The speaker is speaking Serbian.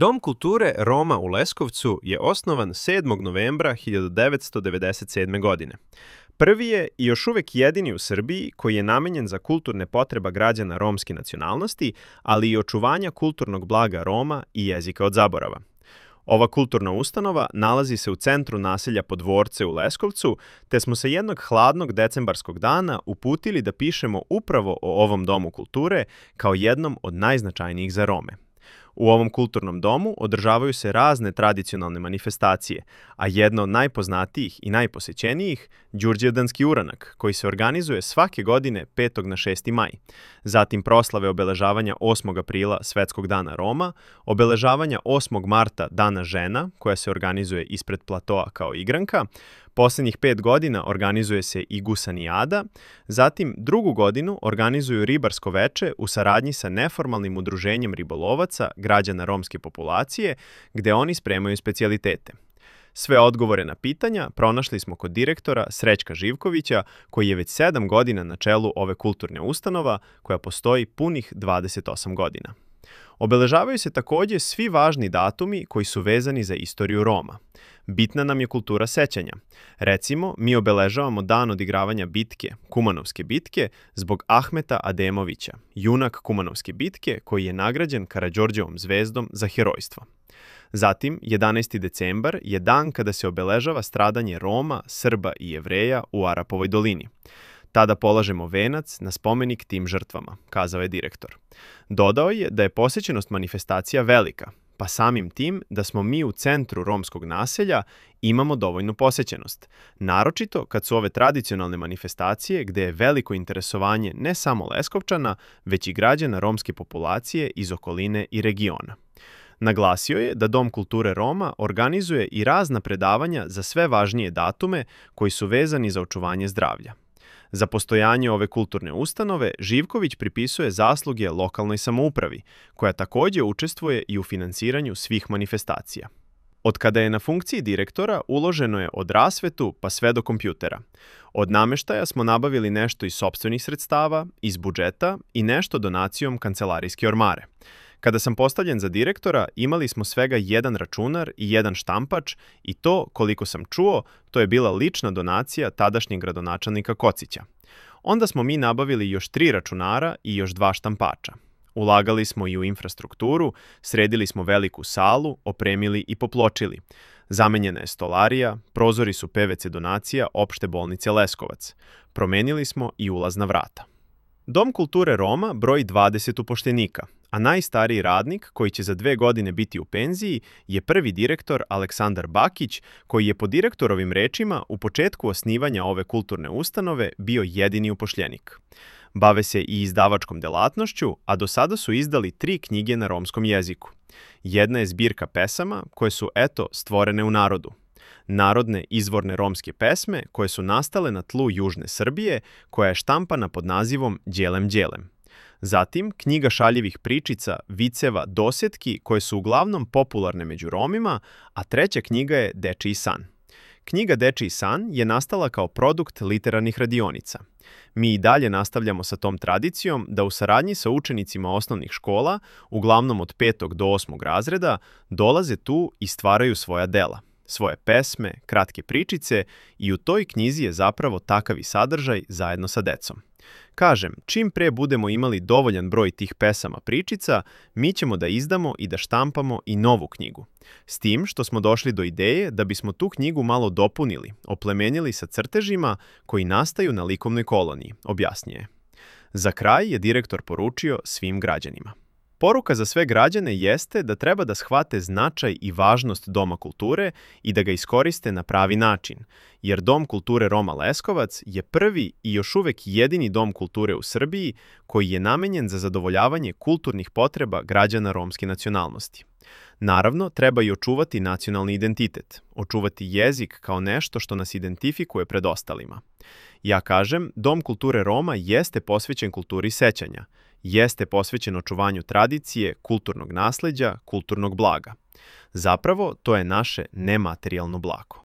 Dom kulture Roma u Leskovcu je osnovan 7. novembra 1997. godine. Prvi je i još uvek jedini u Srbiji koji je namenjen za kulturne potreba građana romske nacionalnosti, ali i očuvanja kulturnog blaga Roma i jezika od zaborava. Ova kulturna ustanova nalazi se u centru naselja Podvorce u Leskovcu, te smo se jednog hladnog decembarskog dana uputili da pišemo upravo o ovom domu kulture kao jednom od najznačajnijih za Rome. U ovom kulturnom domu održavaju se razne tradicionalne manifestacije, a jedna od najpoznatijih i najposećenijih Đurđevdanski uranak, koji se organizuje svake godine 5. na 6. maj. Zatim proslave obeležavanja 8. aprila Svetskog dana Roma, obeležavanja 8. marta Dana žena, koja se organizuje ispred platoa kao igranka, poslednjih 5 godina organizuje se i gusanijada, zatim drugu godinu organizuju ribarsko veče u saradnji sa neformalnim udruženjem ribolovaca građana romske populacije, gde oni spremaju specijalitete. Sve odgovore na pitanja pronašli smo kod direktora Srećka Živkovića, koji je već 7 godina na čelu ove kulturne ustanova koja postoji punih 28 godina. Obeležavaju se takođe svi važni datumi koji su vezani za istoriju Roma. Bitna nam je kultura sećanja. Recimo, mi obeležavamo dan odigravanja bitke, Kumanovske bitke, zbog Ahmeta Ademovića, junak Kumanovske bitke koji je nagrađen Karađorđevom zvezdom za herojstvo. Zatim, 11. decembar je dan kada se obeležava stradanje Roma, Srba i Jevreja u Arapovoj dolini. Tada polažemo venac na spomenik tim žrtvama, kazao je direktor. Dodao je da je posećenost manifestacija velika, pa samim tim da smo mi u centru romskog naselja imamo dovoljnu posećenost. Naročito kad su ove tradicionalne manifestacije gde je veliko interesovanje ne samo Leskovčana, već i građana romske populacije iz okoline i regiona. Naglasio je da Dom kulture Roma organizuje i razna predavanja za sve važnije datume koji su vezani za očuvanje zdravlja. Za postojanje ove kulturne ustanove Živković pripisuje zasluge lokalnoj samoupravi, koja takođe učestvuje i u finansiranju svih manifestacija. Od kada je na funkciji direktora uloženo je od rasvetu pa sve do kompjutera. Od nameštaja smo nabavili nešto iz sopstvenih sredstava, iz budžeta i nešto donacijom kancelarijske ormare. Kada sam postavljen za direktora, imali smo svega jedan računar i jedan štampač i to, koliko sam čuo, to je bila lična donacija tadašnjeg gradonačelnika Kocića. Onda smo mi nabavili još 3 računara i još 2 štampača. Ulagali smo i u infrastrukturu, sredili smo veliku salu, opremili i popločili. Zamenjena je stolarija, prozori su PVC donacija Opšte bolnice Leskovac. Promenili smo i ulazna vrata. Dom kulture Roma broji 20 upošljenika, a najstariji radnik, koji će za 2 godine biti u penziji, je prvi direktor Aleksandar Bakić, koji je po direktorovim rečima u početku osnivanja ove kulturne ustanove bio jedini upošljenik. Bave se i izdavačkom delatnošću, a do sada su izdali 3 knjige na romskom jeziku. Jedna je zbirka pesama koje su, stvorene u narodu. Narodne izvorne romske pesme koje su nastale na tlu južne Srbije, koja je štampana pod nazivom Đelem Đelem. Zatim, knjiga šaljivih pričica, viceva, dosetki koje su uglavnom popularne među Romima, a treća knjiga je Dečiji san. Knjiga Dečiji san je nastala kao produkt literarnih radionica. Mi i dalje nastavljamo sa tom tradicijom da u saradnji sa učenicima osnovnih škola, uglavnom od 5. do 8. razreda, dolaze tu i stvaraju svoja dela, svoje pesme, kratke pričice i u toj knjizi je zapravo takav i sadržaj zajedno sa decom. Kažem, čim pre budemo imali dovoljan broj tih pesama pričica, mi ćemo da izdamo i da štampamo i novu knjigu. S tim što smo došli do ideje da bismo tu knjigu malo dopunili, oplemenili sa crtežima koji nastaju na likovnoj koloniji, objasnije. Za kraj je direktor poručio svim građanima. Poruka za sve građane jeste da treba da shvate značaj i važnost Doma kulture i da ga iskoriste na pravi način, jer Dom kulture Roma Leskovac je prvi i još uvek jedini dom kulture u Srbiji koji je namenjen za zadovoljavanje kulturnih potreba građana romske nacionalnosti. Naravno, treba i očuvati nacionalni identitet, očuvati jezik kao nešto što nas identifikuje pred ostalima. Ja kažem, Dom kulture Roma jeste posvećen kulturi sećanja, jeste posvećen očuvanju tradicije, kulturnog nasleđa, kulturnog blaga. Zapravo, to je naše nematerijalno blago.